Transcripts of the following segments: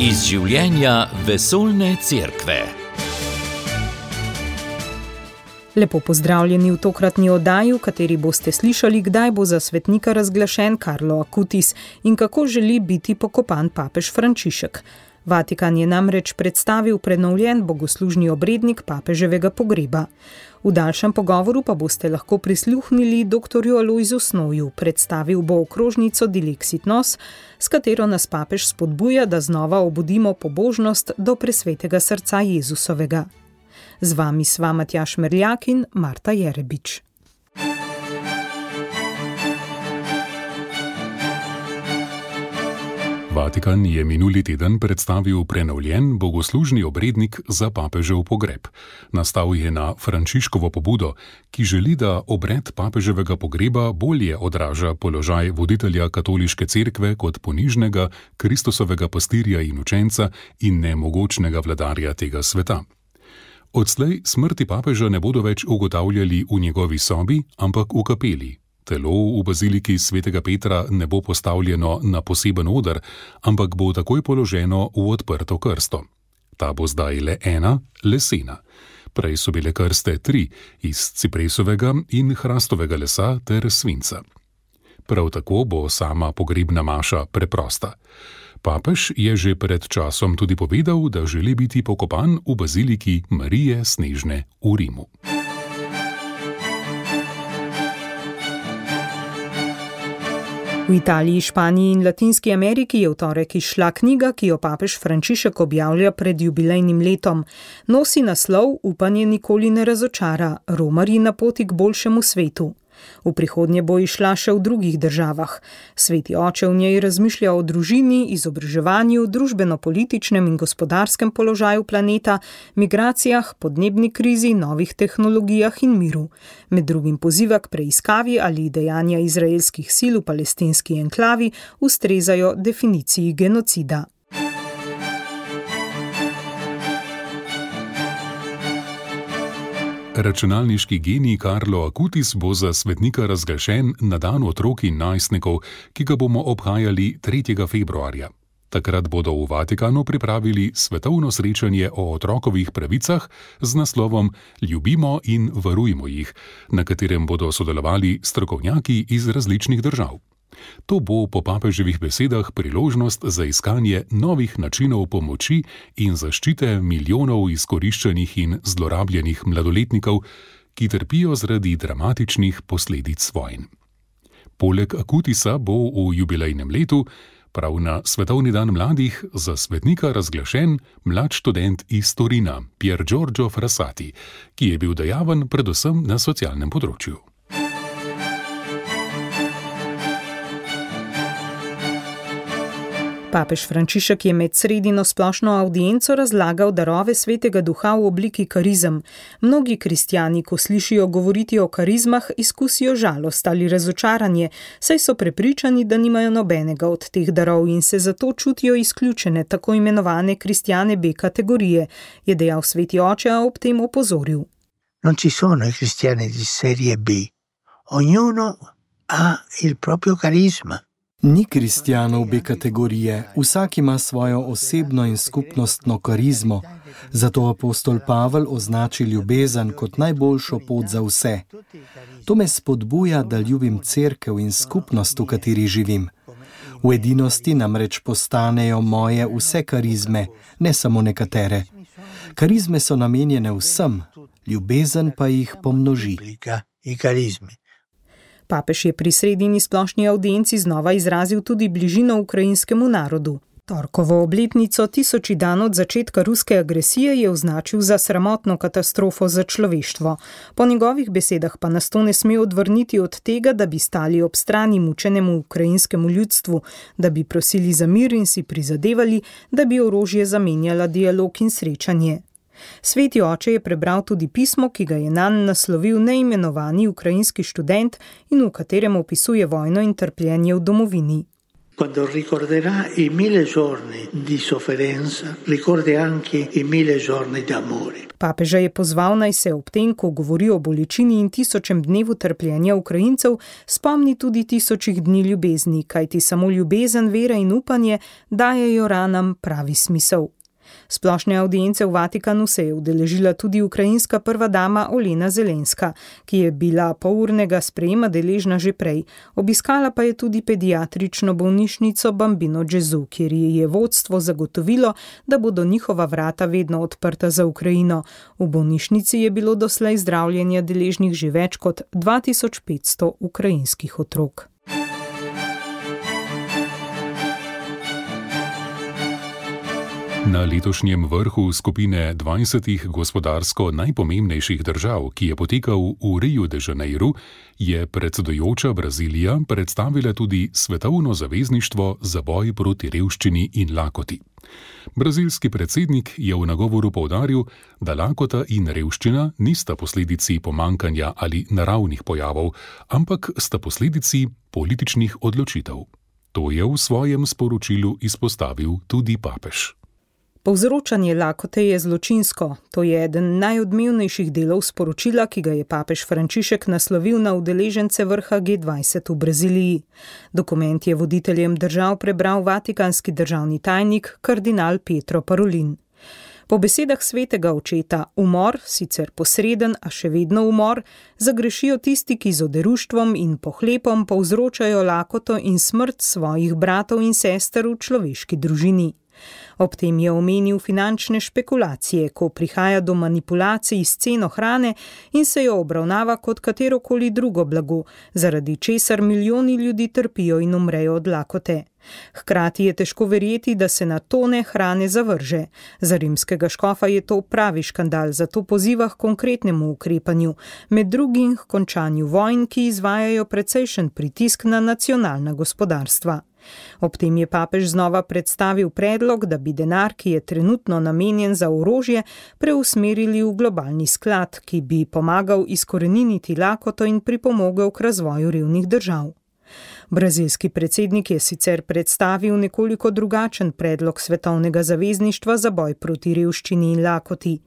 Iz življenja vesoljne cerkve. Lepo pozdravljeni v tokratni oddaji, v kateri boste slišali, kdaj bo za svetnika razglašen Carlo Acutis in kako želi biti pokopan papež Frančišek. Vatikan je namreč predstavil prenovljen bogoslužni obrednik papeževega pogreba. V daljšem pogovoru pa boste lahko prisluhnili dr. Alojzu Snoju, predstavil bo okrožnico Dilexit Nos, s katero nas papež spodbuja, da znova obudimo pobožnost do presvetega srca Jezusovega. Z vami sva Matjaž Merljak in Marta Jerebič. Vatikan je minuli teden predstavil prenovljen bogoslužni obrednik za papežev pogreb. Nastal je na Frančiškovo pobudo, ki želi, da obred papeževega pogreba bolje odraža položaj voditelja katoliške cerkve kot ponižnega Kristusovega pastirja in učenca in nemogočnega vladarja tega sveta. Odslej smrti papeža ne bodo več ugotavljali v njegovi sobi, ampak v kapeli. Telo v baziliki svetega Petra ne bo postavljeno na poseben oder, ampak bo takoj položeno v odprto krsto. Ta bo zdaj le ena, lesena. Prej so bile krste 3, iz cipresovega in hrastovega lesa ter svinca. Prav tako bo sama pogrebna maša preprosta. Papež je že pred časom tudi povedal, da želi biti pokopan v baziliki Marije Snežne v Rimu. V Italiji, Španiji in Latinski Ameriki je v torek izšla knjiga, ki jo papež Frančišek objavlja pred jubilejnim letom. Nosi naslov Upanje nikoli ne razočara, romarji na poti k boljšemu svetu. V prihodnje bo izšla še v drugih državah. Sveti oče v njej razmišlja o družini, izobraževanju, družbeno-političnem in gospodarskem položaju planeta, migracijah, podnebni krizi, novih tehnologijah in miru. Med drugim poziva k preiskavi, ali dejanja izraelskih sil v palestinski enklavi ustrezajo definiciji genocida. Računalniški genij Carlo Acutis bo za svetnika razglašen na dan otrok in najstnikov, ki ga bomo obhajali 3. februarja. Takrat bodo v Vatikanu pripravili svetovno srečanje o otrokovih pravicah z naslovom Ljubimo in varujmo jih, na katerem bodo sodelovali strokovnjaki iz različnih držav. To bo po papeževih besedah priložnost za iskanje novih načinov pomoči in zaščite milijonov izkoriščenih in zlorabljenih mladoletnikov, ki trpijo zaradi dramatičnih posledic vojn. Poleg Acutisa bo v jubilejnem letu, prav na Svetovni dan mladih, za svetnika razglašen mlad študent iz Torina, Pier Giorgio Frassati, ki je bil dejaven predvsem na socialnem področju. Papež Frančišek je med sredino splošno avdienco razlagal darove svetega duha v obliki karizem. Mnogi kristjani, ko slišijo govoriti o karizmah, izkusijo žalost ali razočaranje, saj so prepričani, da nimajo nobenega od teh darov in se zato čutijo izključene, tako imenovane kristjane B kategorije, je dejal sveti oče, a ob tem opozoril. Non ci sono i cristiani di serie B. Ognuno ha il proprio carisma. Ni kristjanov B kategorije, vsak ima svojo osebno in skupnostno karizmo, zato apostol Pavel označi ljubezen kot najboljšo pot za vse. To me spodbuja, da ljubim cerkev in skupnost, v kateri živim. V edinosti namreč postanejo moje vse karizme, ne samo nekatere. Karizme so namenjene vsem, ljubezen pa jih pomnoži. Papež je pri sredini splošni avdienci znova izrazil tudi bližino ukrajinskemu narodu. Torkovo obletnico 1000 dan od začetka ruske agresije je označil za sramotno katastrofo za človeštvo. Po njegovih besedah pa nas to ne sme odvrniti od tega, da bi stali ob strani mučenemu ukrajinskemu ljudstvu, da bi prosili za mir in si prizadevali, da bi orožje zamenjala dialog in srečanje. Sveti oče je prebral tudi pismo, ki ga je nanj naslovil neimenovani ukrajinski študent in v katerem opisuje vojno in trpljenje v domovini. Quando ricorderà i 1000 giorni di sofferenza, ricordi anche i 1000 giorni d'amore. Papeža je pozval, naj se ob tem, ko govori o bolečini in 1000. dnevu trpljenja Ukrajincev, spomni tudi 1000 dni ljubezni, kajti samo ljubezen, vera in upanje dajejo ranam pravi smisel. Splošne avdience v Vatikanu se je udeležila tudi ukrajinska prva dama Olena Zelenska, ki je bila polurnega sprejema deležna že prej. Obiskala pa je tudi pediatrično bolnišnico Bambino Gesù, kjer je vodstvo zagotovilo, da bodo njihova vrata vedno odprta za Ukrajino. V bolnišnici je bilo doslej zdravljenja deležnih že več kot 2500 ukrajinskih otrok. Na letošnjem vrhu skupine 20 gospodarsko najpomembnejših držav, ki je potekal v Riu de Janeiro, je predsedujoča Brazilija predstavila tudi Svetovno zavezništvo za boj proti revščini in lakoti. Brazilski predsednik je v nagovoru poudaril, da lakota in revščina nista posledici pomankanja ali naravnih pojavov, ampak sta posledici političnih odločitev. To je v svojem sporočilu izpostavil tudi papež. Povzročanje lakote je zločinsko. To je eden najodmevnejših delov sporočila, ki ga je papež Frančišek naslovil na udeležence vrha G20 v Braziliji. Dokument je voditeljem držav prebral vatikanski državni tajnik kardinal Pietro Parolin. Po besedah svetega očeta, umor, sicer posreden, a še vedno umor, zagrešijo tisti, ki z oderuštvom in pohlepom povzročajo lakoto in smrt svojih bratov in sester v človeški družini. Ob tem je omenil finančne špekulacije, ko prihaja do manipulacij s ceno hrane in se jo obravnava kot katerokoli drugo blago, zaradi česar milijoni ljudi trpijo in umrejo od lakote. Hkrati je težko verjeti, da se na tone hrane zavrže. Za rimskega škofa je to pravi škandal, zato poziva k konkretnemu ukrepanju, med drugim k končanju vojn, ki izvajajo precejšen pritisk na nacionalna gospodarstva. Ob tem je papež znova predstavil predlog, da bi denar, ki je trenutno namenjen za orožje, preusmerili v globalni sklad, ki bi pomagal izkoreniniti lakoto in pripomogel k razvoju revnih držav. Brazilski predsednik je sicer predstavil nekoliko drugačen predlog Svetovnega zavezništva za boj proti revščini in lakoti.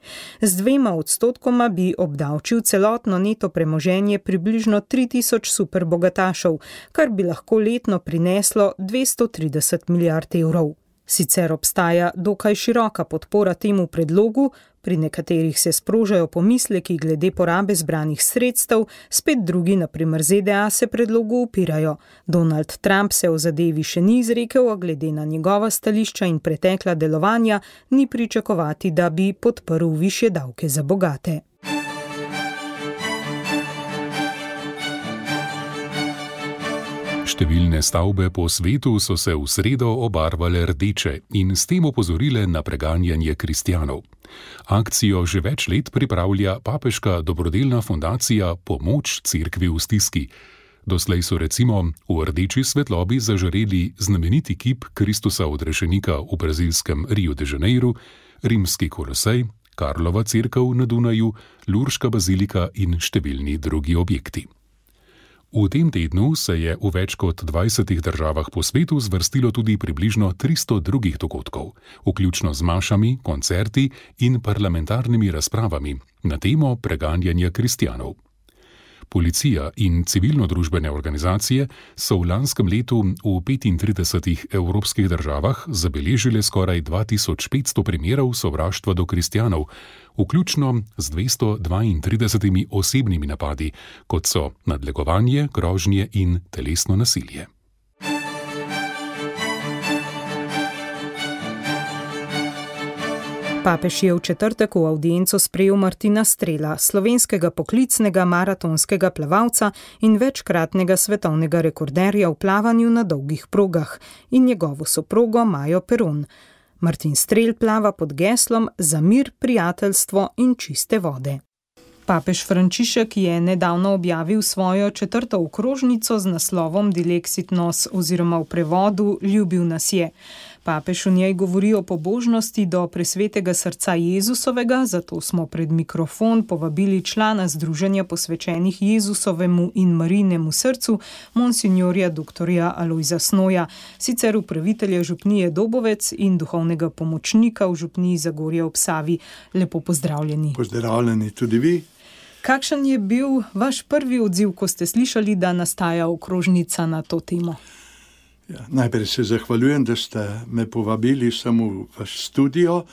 Z 2% bi obdavčil celotno neto premoženje približno 3000 superbogatašev, kar bi lahko letno prineslo 230 milijard evrov. Sicer obstaja dokaj široka podpora temu predlogu, pri nekaterih se sprožajo pomisleki glede porabe zbranih sredstev, spet drugi, na primer ZDA, se predlogu upirajo. Donald Trump se o zadevi še ni izrekel, a glede na njegova stališča in pretekla delovanja ni pričakovati, da bi podprl višje davke za bogate. Številne stavbe po svetu so se v sredo obarvale rdeče in s tem opozorile na preganjanje kristjanov. Akcijo že več let pripravlja papeška dobrodelna fundacija Pomoč cerkvi v stiski. Doslej so recimo v rdeči svetlobi zažareli znameniti kip Kristusa odrešenika v brazilskem Riu de Janeiro, rimski Kolosej, Karlova cerkev na Dunaju, Lurška bazilika in številni drugi objekti. V tem tednu se je v več kot 20 državah po svetu zvrstilo tudi približno 300 drugih dogodkov, vključno z mašami, koncerti in parlamentarnimi razpravami na temo preganjanja kristjanov. Policija in civilno-družbene organizacije so v lanskem letu v 35 evropskih državah zabeležile skoraj 2500 primerov sovraštva do kristjanov, vključno z 232 osebnimi napadi, kot so nadlegovanje, grožnje in telesno nasilje. Papež je v četrtek v avdienco sprejel Martina Strela, slovenskega poklicnega maratonskega plavalca in večkratnega svetovnega rekorderja v plavanju na dolgih progah, in njegovo soprogo Majo Peron. Martin Strel plava pod geslom Za mir, prijateljstvo in čiste vode. Papež Frančišek je nedavno objavil svojo 4. okrožnico z naslovom Dilexit nos oziroma v prevodu Ljubil nas je. Papež v njej govori o pobožnosti do presvetega srca Jezusovega, zato smo pred mikrofon povabili člana Združenja posvečenih Jezusovemu in Marijinemu srcu, monsignorja dr. Alojza Snoja, sicer upravitelja župnije Dobovec in duhovnega pomočnika v župniji Zagorje ob Savi. Lepo pozdravljeni. Pozdravljeni tudi vi. Kakšen je bil vaš prvi odziv, ko ste slišali, da nastaja okrožnica na to temo? Ja, najprej se zahvaljujem, da ste me povabili samo v vaš studio,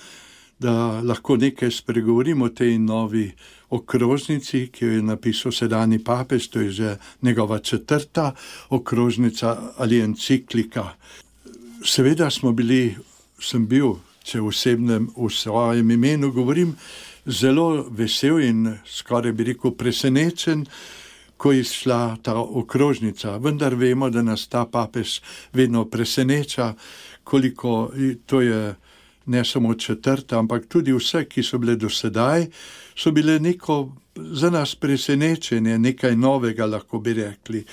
da lahko nekaj spregovorimo o tej novi okrožnici, ki jo je napisal sedanji papež, to je že njegova 4. okrožnica ali enciklika. Seveda sem bil, če v svojem imenu govorim, zelo vesel in skoraj bi rekel presenečen, ko je šla ta okrožnica. Vendar vemo, da nas ta papež vedno preseneča, koliko to je ne samo 4., ampak tudi vse, ki so bile do sedaj, so bile neko za nas presenečenje, nekaj novega, lahko bi rekli.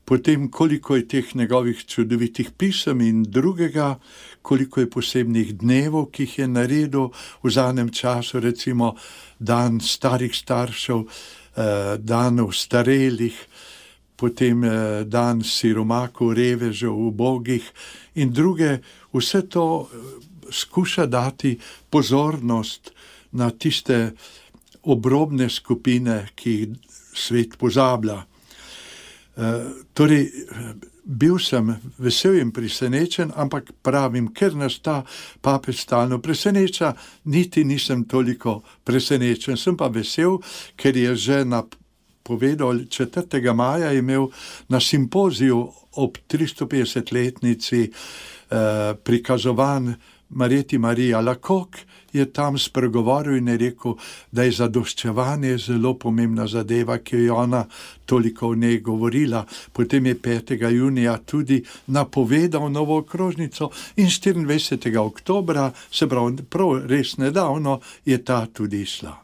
Potem, koliko je teh njegovih čudovitih pisem in drugega, koliko je posebnih dnevov, ki jih je naredil v zadnjem času, recimo dan starih staršev, dan ostarelih, potem dan siromakov, revežev, ubogih in druge. Vse to skuša dati pozornost na tiste obrobne skupine, ki jih svet pozablja. Torej, bil sem vesel in presenečen, ampak pravim, ker nas ta papež stalno preseneča, niti nisem toliko presenečen. Sem pa vesel, ker je že povedal 4. maja imel na simpoziju ob 350-letnici prikazovanj Marjeti Mariji Alacoque, je tam spregovoril in je rekel, da je zadoščevanje zelo pomembna zadeva, ki je ona toliko o njej govorila. Potem je 5. junija tudi napovedal novo okrožnico in 24. oktobra, se pravi prav res nedavno, je ta tudi išla.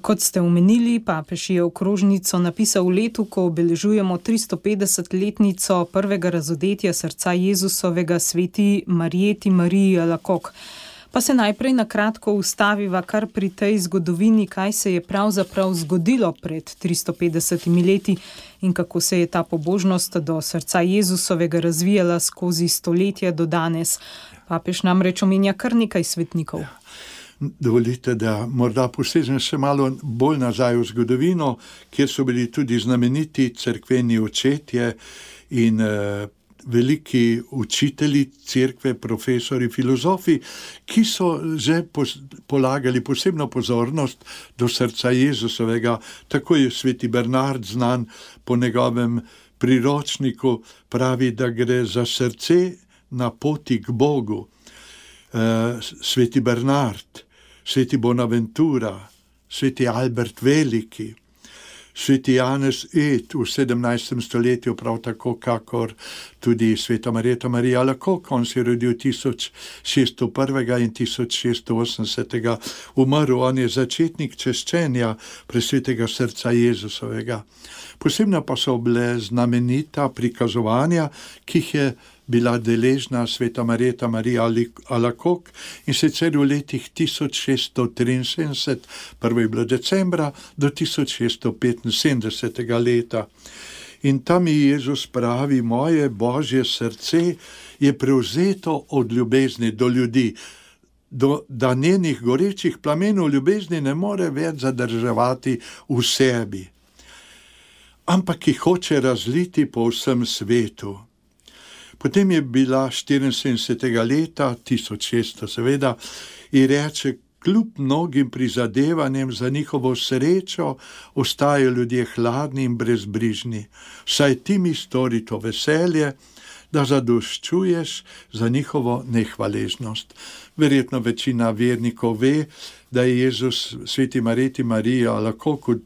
Kot ste omenili, papež je okrožnico napisal v letu, ko obeležujemo 350-letnico prvega razodetja srca Jezusovega sveti Marjeti Mariji Alacoque. Pa se najprej na kratko ustaviva kar pri tej zgodovini, kaj se je pravzaprav zgodilo pred 350 leti in kako se je ta pobožnost do srca Jezusovega razvijala skozi stoletja do danes. Papež namreč omenja kar nekaj svetnikov. Ja. Dovolite, da morda posežem še malo bolj nazaj v zgodovino, kjer so bili tudi znameniti cerkveni očetje in veliki učitelji cerkve, profesori, filozofi, ki so že polagali posebno pozornost do srca Jezusovega. Tako je sveti Bernard znan po njegovem priročniku, pravi, da gre za srce na poti k Bogu. Sveti Bernard, sveti Bonaventura, sveti Albert Veliki, sveti Janez Ed v 17. stoletju, prav tako kakor tudi sveta Marjeta Marija Alacoque. On se je rodil 1601. in 1680. umrl. On je začetnik češčenja presvetega srca Jezusovega. Posebno pa so bile znamenita prikazovanja, ki jih je bila deležna sveta Marjeta Marija Alacoque, in sicer v letih 1673, prvo je bilo decembra, do 1675. leta. In tam je Jezus pravi, moje Božje srce je prevzeto od ljubezni do ljudi, da njenih gorečih plamenov ljubezni ne more več zadrževati v sebi, ampak jih hoče razliti po vsem svetu. Potem je bila 74. leta, 1600 seveda, in reče, kljub mnogim prizadevanjem za njihovo srečo, ostajajo ljudje hladni in brezbrižni. Saj ti mi stori to veselje, da zadoščuješ za njihovo nehvaležnost. Verjetno večina vernikov ve, da je Jezus sveti Marjeti Mariji Alacoque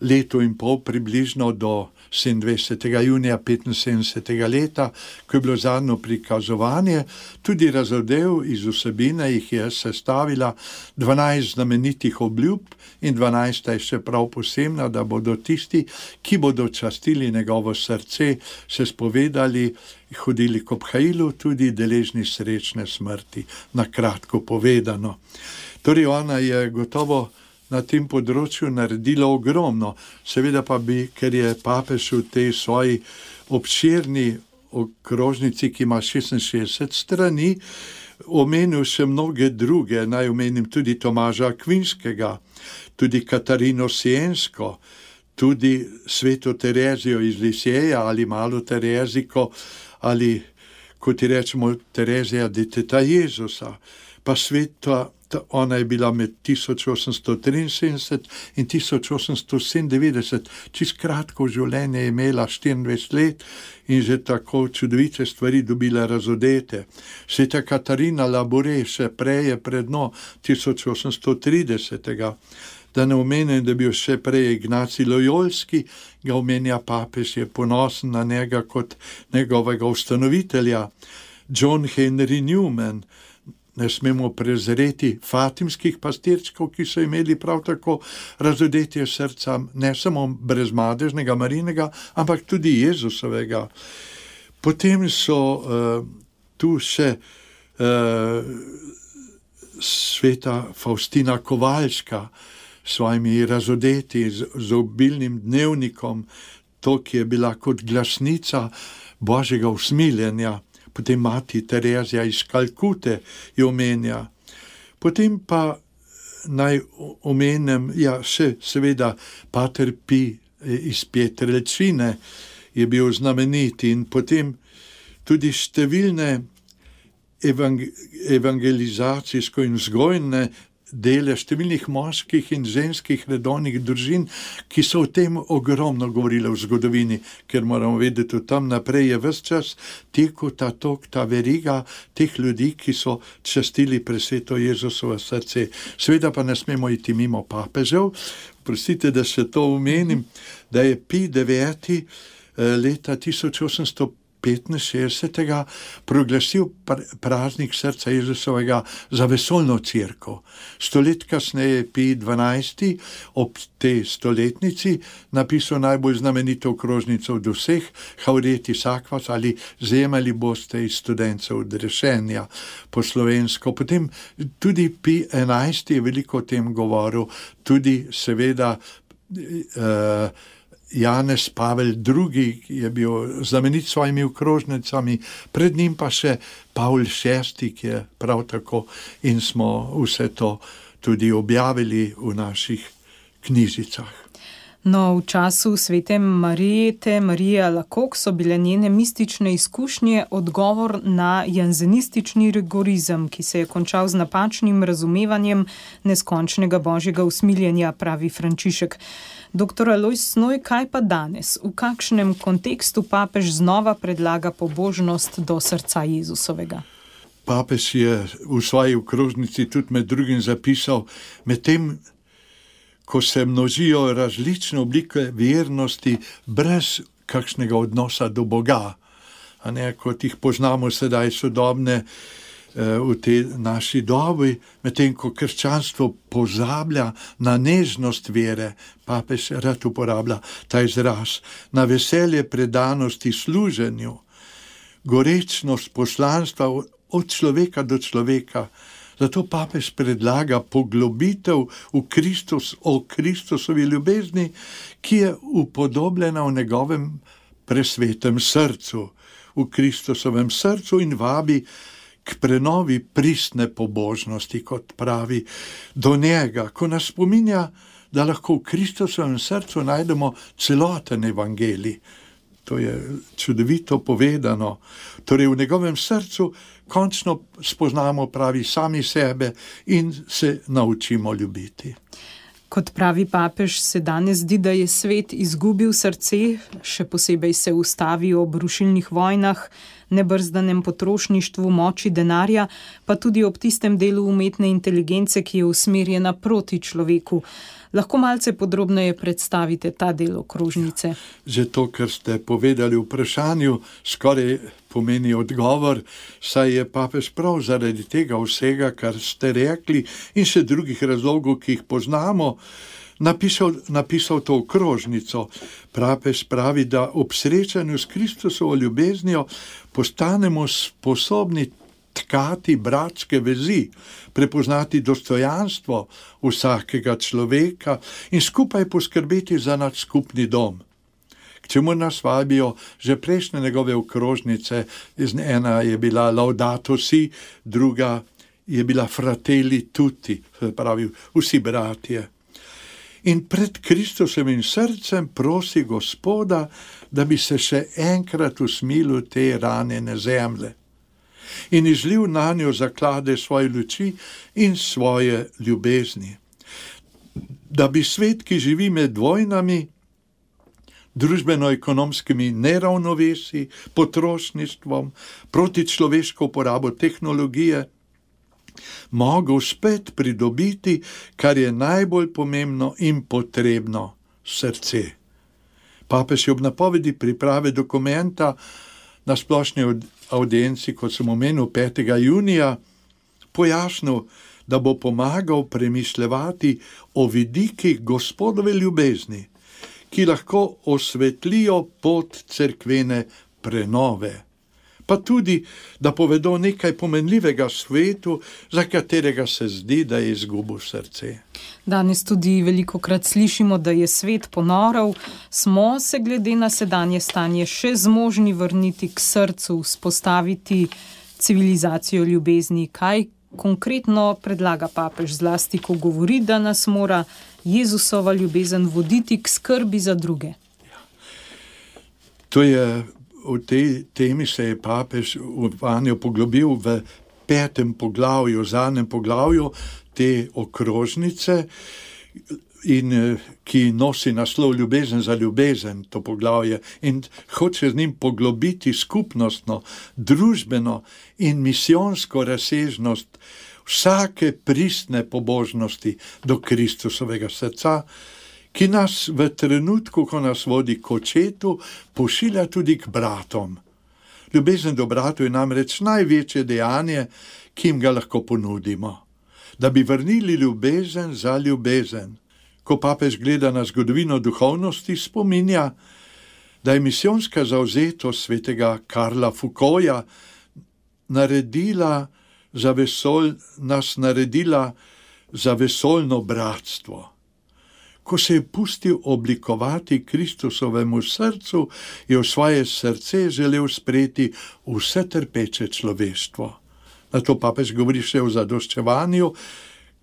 leto in pol približno do 27. junija 75. leta, ko je bilo zadnjo prikazovanje, tudi razodel iz vsebine, jih je sestavila 12 znamenitih obljub in 12 je še prav posebna, da bodo tisti, ki bodo častili njegovo srce, se spovedali, hodili k obhajilu, tudi deležni srečne smrti, na kratko povedano. Torej ona je gotovo na tem področju naredila ogromno, seveda pa bi, ker je papež v tej svoji obširni okrožnici, ki ima 66 strani, omenil še mnoge druge, naj omenim tudi Tomaža Akvinskega, tudi Katarino Siensko, tudi sveto Terezijo iz Lisieja ali malo Tereziko, ali kot ji rečemo Terezija deteta Jezusa, pa sveta. Ona je bila med 1873 in 1897, čist kratko življenje je imela 24 let in že tako čudovite stvari dobila razodete. Sveta Katarina Labure še prej je predno 1830. Da ne omenim, da je bil še prej Ignacij Lojolski, ga omenja papež, je ponosen na njega kot njegovega ustanovitelja. John Henry Newman, ne smemo prezreti fatimskih pastirčkov, ki so imeli prav tako razodetje srca, ne samo brezmadežnega Marijinega, ampak tudi Jezusovega. Potem so tu še sveta Faustina Kovalška s svojimi razodeti, z obilnim dnevnikom, to, ki je bila kot glasnica Božjega usmiljenja. Potem mati Terezija iz Kalkute jo omenja. Potem pa naj omenem, še seveda Pater Pi iz Pietrelcine je bil znamenit in potem tudi številne evangelizacijsko in vzgojne dele številnih moških in ženskih redovnih družin, ki so o tem ogromno govorile v zgodovini, ker moramo vedeti, tam naprej je ves čas tekel ta veriga teh ljudi, ki so častili presveto Jezusovo srce. Seveda pa ne smemo iti mimo papežev. Prosite, da se to omenim, da je Pi IX leta 1865 proglasil praznik srca Jezusovega za vesoljno cerkev. 100 let kasneje Pi XII ob tej stoletnici napisal najbolj znamenito okrožnico od vseh, Haurietis Aquas ali Zemali boste iz studencev odrešenja po slovensko. Potem tudi Pi XI je veliko o tem govoril, tudi seveda Janez Pavel II je bil znamenit s svojimi okrožnicami, pred njim pa še Pavol VI, ki je prav tako, in smo vse to tudi objavili v naših knjižicah. No, v času svete Marije Alacoque so bile njene mistične izkušnje odgovor na janzenistični rigorizem, ki se je končal z napačnim razumevanjem neskončnega božjega usmiljenja, pravi Frančišek. Dr. Alojz Snoj, kaj pa danes? V kakšnem kontekstu papež znova predlaga pobožnost do srca Jezusovega? Papež je v svoji okrožnici tudi med drugim zapisal, medtem ko se množijo različne oblike vernosti brez kakšnega odnosa do Boga, a ne, kot jih poznamo sedaj sodobne v tej naši dobi, medtem ko krščanstvo pozablja na nežnost vere, papež rad uporablja ta izraz, na veselje predanosti služenju, gorečnost poslanstva od človeka do človeka. Zato papež predlaga poglobitev o Kristusovi ljubezni, ki je upodobljena v njegovem presvetem srcu, v Kristusovem srcu, in vabi k prenovi pristne pobožnosti, kot pravi, do njega, ko nas spominja, da lahko v Kristusovem srcu najdemo celoten evangelij. To je čudovito povedano. Torej v njegovem srcu končno spoznamo, pravi, sami sebe in se naučimo ljubiti. Kot pravi papež, se danes zdi, da je svet izgubil srce, še posebej se ustavi ob rušilnih vojnah, nebrzdanem potrošništvu, moči denarja, pa tudi ob tistem delu umetne inteligence, ki je usmerjena proti človeku. Lahko malce podrobneje predstavite ta del okrožnice? Že to, kar ste povedali v vprašanju, skoraj pomeni odgovor, saj je papež prav zaradi tega vsega, kar ste rekli, in še drugih razlogov, ki jih poznamo, napisal to okrožnico. Papež pravi, da ob srečanju s Kristusovo ljubeznijo postanemo sposobni tkati bratske vezi, prepoznati dostojanstvo vsakega človeka in skupaj poskrbeti za naš skupni dom. K čemu nas vabijo že prejšnje njegove okrožnice, ena je bila Laudato Si, druga je bila Fratelli Tutti, pravi vsi bratje. In pred Kristusovim srcem prosi Gospoda, da bi se še enkrat usmilil te ranjene zemlje in izlil na njo zaklade svoje luči in svoje ljubezni. Da bi svet, ki živi med vojnami, družbeno-ekonomskimi neravnovesi, potrošništvom, protičloveško uporabo tehnologije, mogel spet pridobiti, kar je najbolj pomembno in potrebno, srce. Papež je ob napovedi priprave dokumenta na splošni audienci, kot sem omenil, 5. junija, pojasnil, da bo pomagal premišljevati o vidikih Gospodove ljubezni, ki lahko osvetlijo pot cerkvene prenove, pa tudi, da povedo nekaj pomenljivega svetu, za katerega se zdi, da je izgubil srce. Danes tudi velikokrat slišimo, da je svet ponorel. Smo se glede na sedanje stanje še zmožni vrniti k srcu, vzpostaviti civilizacijo ljubezni? Kaj konkretno predlaga papež, zlasti, ko govori, da nas mora Jezusova ljubezen voditi k skrbi za druge? To je, v tej temi se je papež vanjo poglobil v 5. poglavju, zadnjem poglavju te okrožnice, in ki nosi naslov Ljubezen za ljubezen, to poglavje, in hoče z njim poglobiti skupnostno, družbeno in misijonsko razsežnost vsake pristne pobožnosti do Kristusovega srca, ki nas v trenutku, ko nas vodi k očetu, pošilja tudi k bratom. Ljubezen do bratov je namreč največje dejanje, ki jim ga lahko ponudimo. Da bi vrnili ljubezen za ljubezen. Ko papež gleda na zgodovino duhovnosti, spominja, da je misijonska zavzetost svetega Karla Foucaulta nas naredila za vesoljno bratstvo. Ko se je pustil oblikovati Kristusovemu srcu, je v svoje srce želel sprejeti vse trpeče človeštvo. Na to papež govori še o zadoščevanju,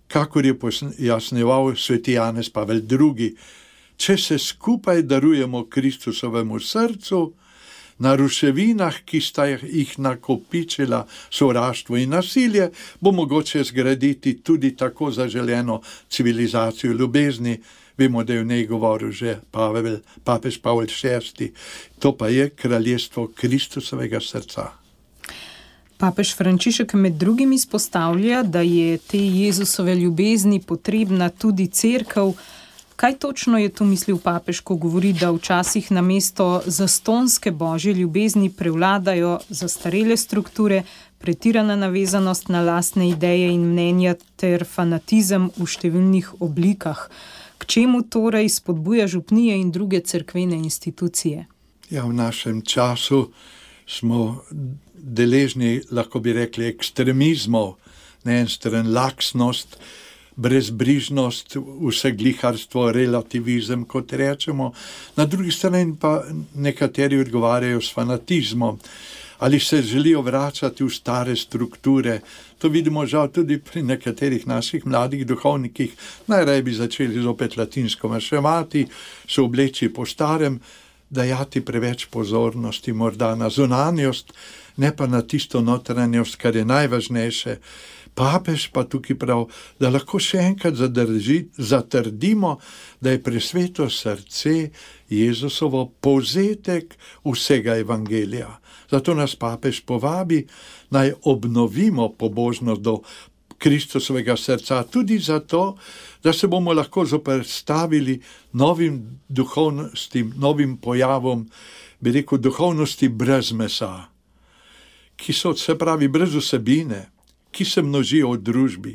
kakor je pojasnjeval sveti Janez Pavel II. Če se skupaj darujemo Kristusovemu srcu, na ruševinah, ki sta jih nakopičila sovraštvo in nasilje, bo mogoče zgraditi tudi tako zaželeno civilizacijo ljubezni. Vemo, da je v njej govoril že papež Pavel VI. To pa je kraljestvo Kristusovega srca. Papež Frančišek med drugim izpostavlja, da je te Jezusove ljubezni potrebna tudi cerkev. Kaj točno je tu mislil papež, ko govori, da včasih namesto zastonjske božje ljubezni prevladajo zastarele strukture, pretirana navezanost na lastne ideje in mnenja ter fanatizem v številnih oblikah? K čemu torej spodbuja župnije in druge cerkvene institucije? Ja, v našem času smo deležni, lahko bi rekli, ekstremizmov, na en stran laksnost, brezbrižnost, vsegliharstvo, relativizem, kot rečemo, na drugi strani pa nekateri odgovarjajo s fanatizmom, ali se želijo vračati v stare strukture. To vidimo žal tudi pri nekaterih naših mladih duhovnikih. Najraje bi začeli zopet latinsko maševati, se obleči po starem, dajati preveč pozornosti morda na zunanjost, ne pa na tisto notranjost, kar je najvažnejše. Papež pa tukaj prav, da lahko še enkrat zatrdimo, da je presveto srce Jezusovo povzetek vsega evangelija. Zato nas papež povabi, naj obnovimo pobožnost do Kristusovega srca, tudi zato, da se bomo lahko zoperstavili novim duhovnostim, novim pojavom, bi rekel, duhovnosti brez mesa, ki so, se pravi, brez vsebine, ki se množijo v družbi.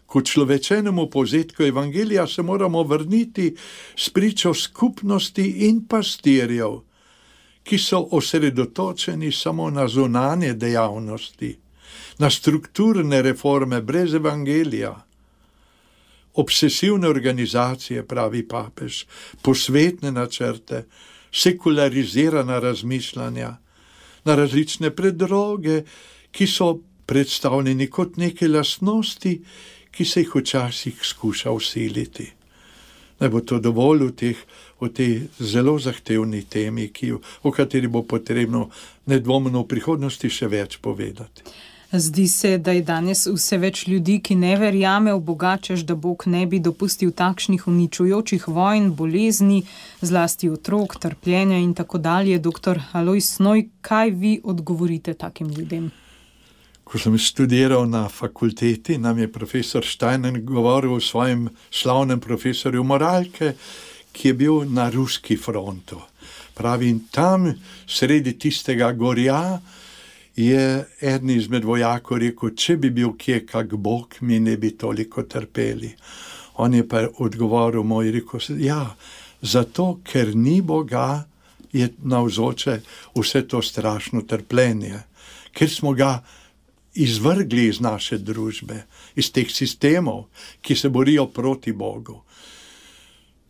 K človečenemu povzetku evangelija se moramo vrniti s pričo skupnosti in pastirjev, ki so osredotočeni samo na zunanje dejavnosti, na strukturne reforme brez evangelija, obsesivne organizacije, pravi papež, posvetne načrte, sekularizirana razmišljanja, na različne predroge, ki so predstavljeni kot neke lastnosti, ki se jih včasih skuša vsiliti. Naj bo to dovolj v tej zelo zahtevni temi, o kateri bo potrebno nedvomno v prihodnosti še več povedati. Zdi se, da je danes vse več ljudi, ki ne verjame v Boga, češ da Bog ne bi dopustil takšnih uničujočih vojn, bolezni, zlasti otrok, trpljenja in tako dalje. Doktor Alojz Snoj, kaj vi odgovorite takim ljudem? Ko sem študiral na fakulteti, nam je profesor Steiner govoril o svojem slavnem profesorju moralke, ki je bil na ruski frontu. Pravi, in tam, sredi tistega gorja, je eden izmed vojakov rekel, če bi bil kje kak Bog, mi ne bi toliko trpeli. On je pa odgovoril moj, rekel, ja, zato, ker ni Boga, je navzoče vse to strašno trpljenje, ker smo ga izvrgli iz naše družbe, iz teh sistemov, ki se borijo proti Bogu.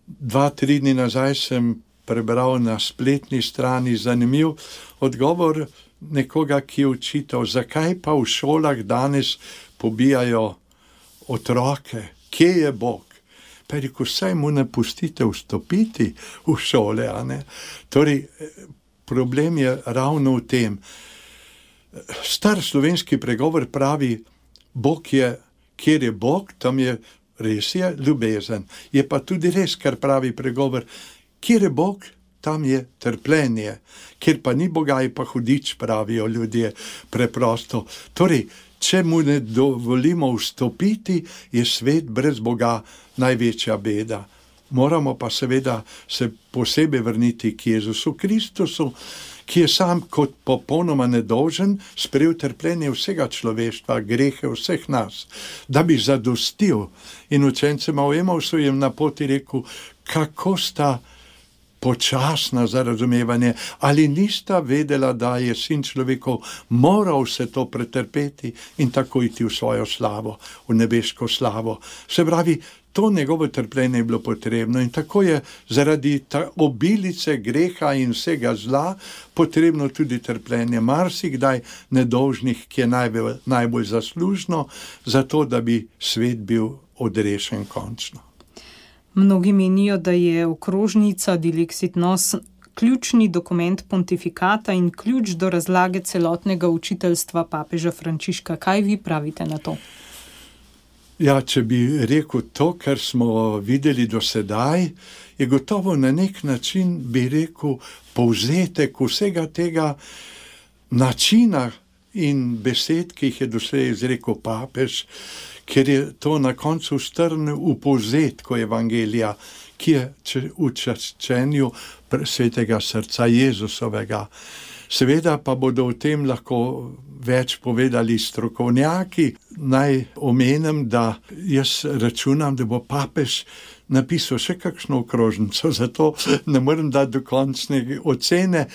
2-3 dni nazaj sem prebral na spletni strani zanimiv odgovor nekoga, ki je učital, zakaj pa v šolah danes pobijajo otroke, kje je Bog? Pa je rekel, saj mu ne pustite vstopiti v šole, a ne? Torej, problem je ravno v tem. Star slovenski pregovor pravi, Bog je, kjer je Bog, tam je res je ljubezen. Je pa tudi res, kar pravi pregovor, kjer je Bog, tam je trpljenje. Kjer pa ni Boga, je pa hudič, pravijo ljudje preprosto. Torej, če mu ne dovolimo vstopiti, je svet brez Boga največja beda. Moramo pa seveda se posebej vrniti k Jezusu Kristusu, ki je sam kot popolnoma nedolžen sprejel trpljenje vsega človeštva, grehe vseh nas, da bi zadostil. In učencema v Emausu je na poti rekel, kako sta počasna za razumevanje, ali nista vedela, da je sin človekov moral vse to pretrpeti in tako iti v svojo slavo, v nebeško slavo. Se pravi, to njegovo trpljenje je bilo potrebno in tako je zaradi obilice greha in vsega zla potrebno tudi trpljenje marsikdaj nedolžnih, ki je najbolj zaslužno, zato da bi svet bil odrešen končno. Mnogi menijo, da je okrožnica Dilexit Nos ključni dokument pontifikata in ključ do razlage celotnega učiteljstva papeža Frančiška. Kaj vi pravite na to? Ja, če bi rekel to, kar smo videli do sedaj, je gotovo na nek način, bi rekel, povzetek vsega tega načina in besed, ki jih je doslej izrekel papež, ker je to na koncu strnil v povzetku evangelija, ki je v čaščenju svetega srca Jezusovega. Seveda pa bodo o tem lahko več povedali strokovnjaki. Naj omenim, da jaz računam, da bo papež napisal še kakšno okrožnico, zato ne morem dati dokončne ocene,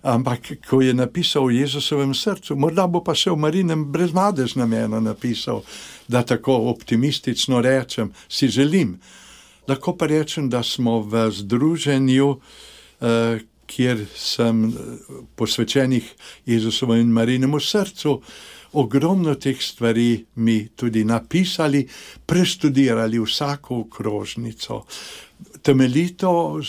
ampak ko je napisal o Jezusovem srcu, morda bo pa še o Marinem brezmadežnem eno napisal, da tako optimistično rečem, si želim. Lahko pa rečem, da smo v združenju, kjer sem posvečenih Jezusovu in Marijinemu srcu, ogromno teh stvari mi tudi napisali, prestudirali vsako okrožnico, temeljito,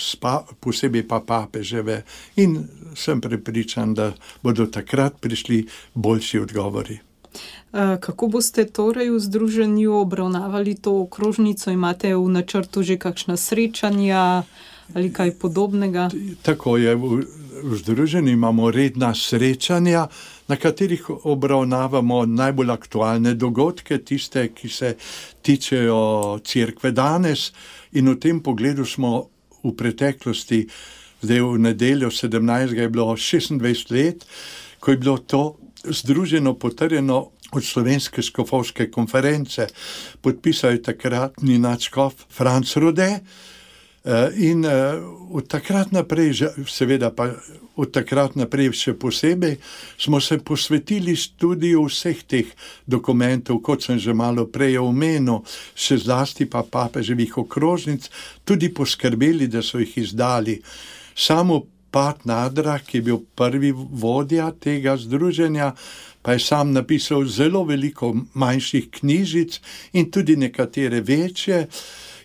posebej pa papeževe, in sem prepričan, da bodo takrat prišli boljši odgovori. Kako boste torej v združenju obravnavali to okrožnico? Imate v načrtu že kakšna srečanja ali kaj podobnega? Tako je, v združenju imamo redna srečanja, na katerih obravnavamo najbolj aktualne dogodke, tiste, ki se tičejo cerkve danes, in v tem pogledu smo v preteklosti, zdaj v nedeljo 17. je bilo 26 let, ko je bilo to združeno potrjeno od Slovenske škofovske konference. Podpisal je takratni nadškof Franc Rode, in od takrat naprej, seveda pa od takrat naprej še posebej, smo se posvetili študiju vseh teh dokumentov, kot sem že malo prej omenil, še zlasti pa papeževih okrožnic, tudi poskrbeli, da so jih izdali. Samo Pat Nadra, ki je bil prvi vodja tega združenja, pa je sam napisal zelo veliko manjših knjižic in tudi nekatere večje.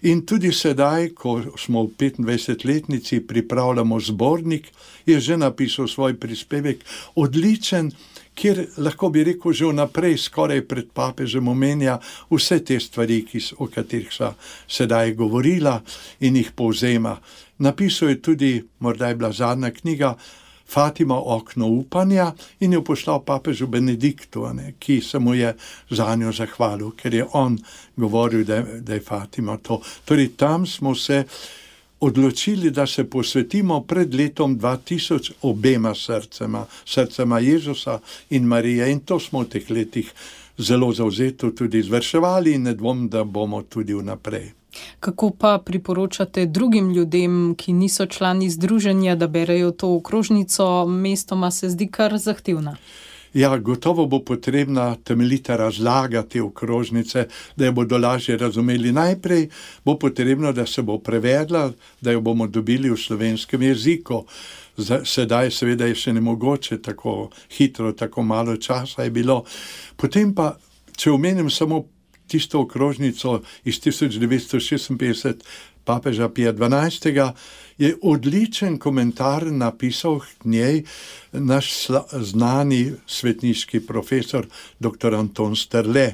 In tudi sedaj, ko smo v 25-letnici, pripravljamo zbornik, je že napisal svoj prispevek, odličen, kjer lahko bi rekel že vnaprej, skoraj pred papežem omenja vse te stvari, o katerih sva sedaj govorila, in jih povzema. Napisal je tudi, morda je bila zadnja knjiga, Fatima, okno upanja, in jo poslal papežu Benediktu, ki se mu je za njo zahvalil, ker je on govoril, da je Fatima to. Torej tam smo se odločili, da se posvetimo pred letom 2000 obema srcema Jezusa in Marije, in to smo v teh letih zelo zavzeto tudi izvrševali in ne dvom, da bomo tudi vnaprej. Kako pa priporočate drugim ljudem, ki niso člani združenja, da berejo to okrožnico? Mestoma se zdi kar zahtevna. Ja, gotovo bo potrebna temeljita razlaga te okrožnice, da jo bodo lažje razumeli. Najprej bo potrebno, da se bo prevedla, da jo bomo dobili v slovenskem jeziku. Sedaj seveda je še nemogoče, tako hitro, tako malo časa je bilo. Potem pa, če omenim samo tisto okrožnico iz 1956 papeža Pija XII, je odličen komentar napisal k njej naš znani svetniški profesor dr. Anton Sterle.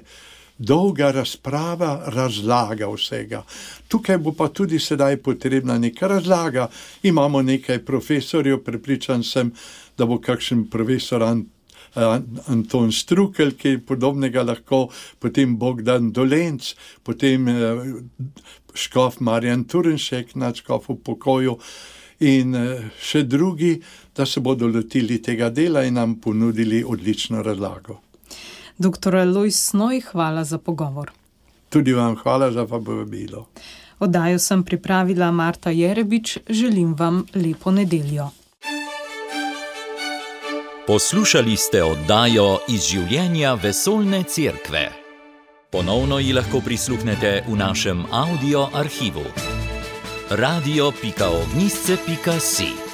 Dolga razprava, razlaga vsega. Tukaj bo pa tudi sedaj potrebna neka razlaga. Imamo nekaj profesorjev, prepričan sem, da bo kakšen profesor Anton Štrukelj, ki je podobnega lahko, potem Bogdan Dolenc, potem škof Marjan Turnšek, nadškof v pokoju, in še drugi, da se bodo lotili tega dela in nam ponudili odlično razlago. Dr. Lojz Snoj, hvala za pogovor. Tudi vam hvala za povabilo. Oddajo sem pripravila Marta Jerebič, želim vam lepo nedeljo. Poslušali ste oddajo Iz življenja vesoljne cerkve. Ponovno ji lahko prisluhnete v našem audio arhivu. radio.ognisce.si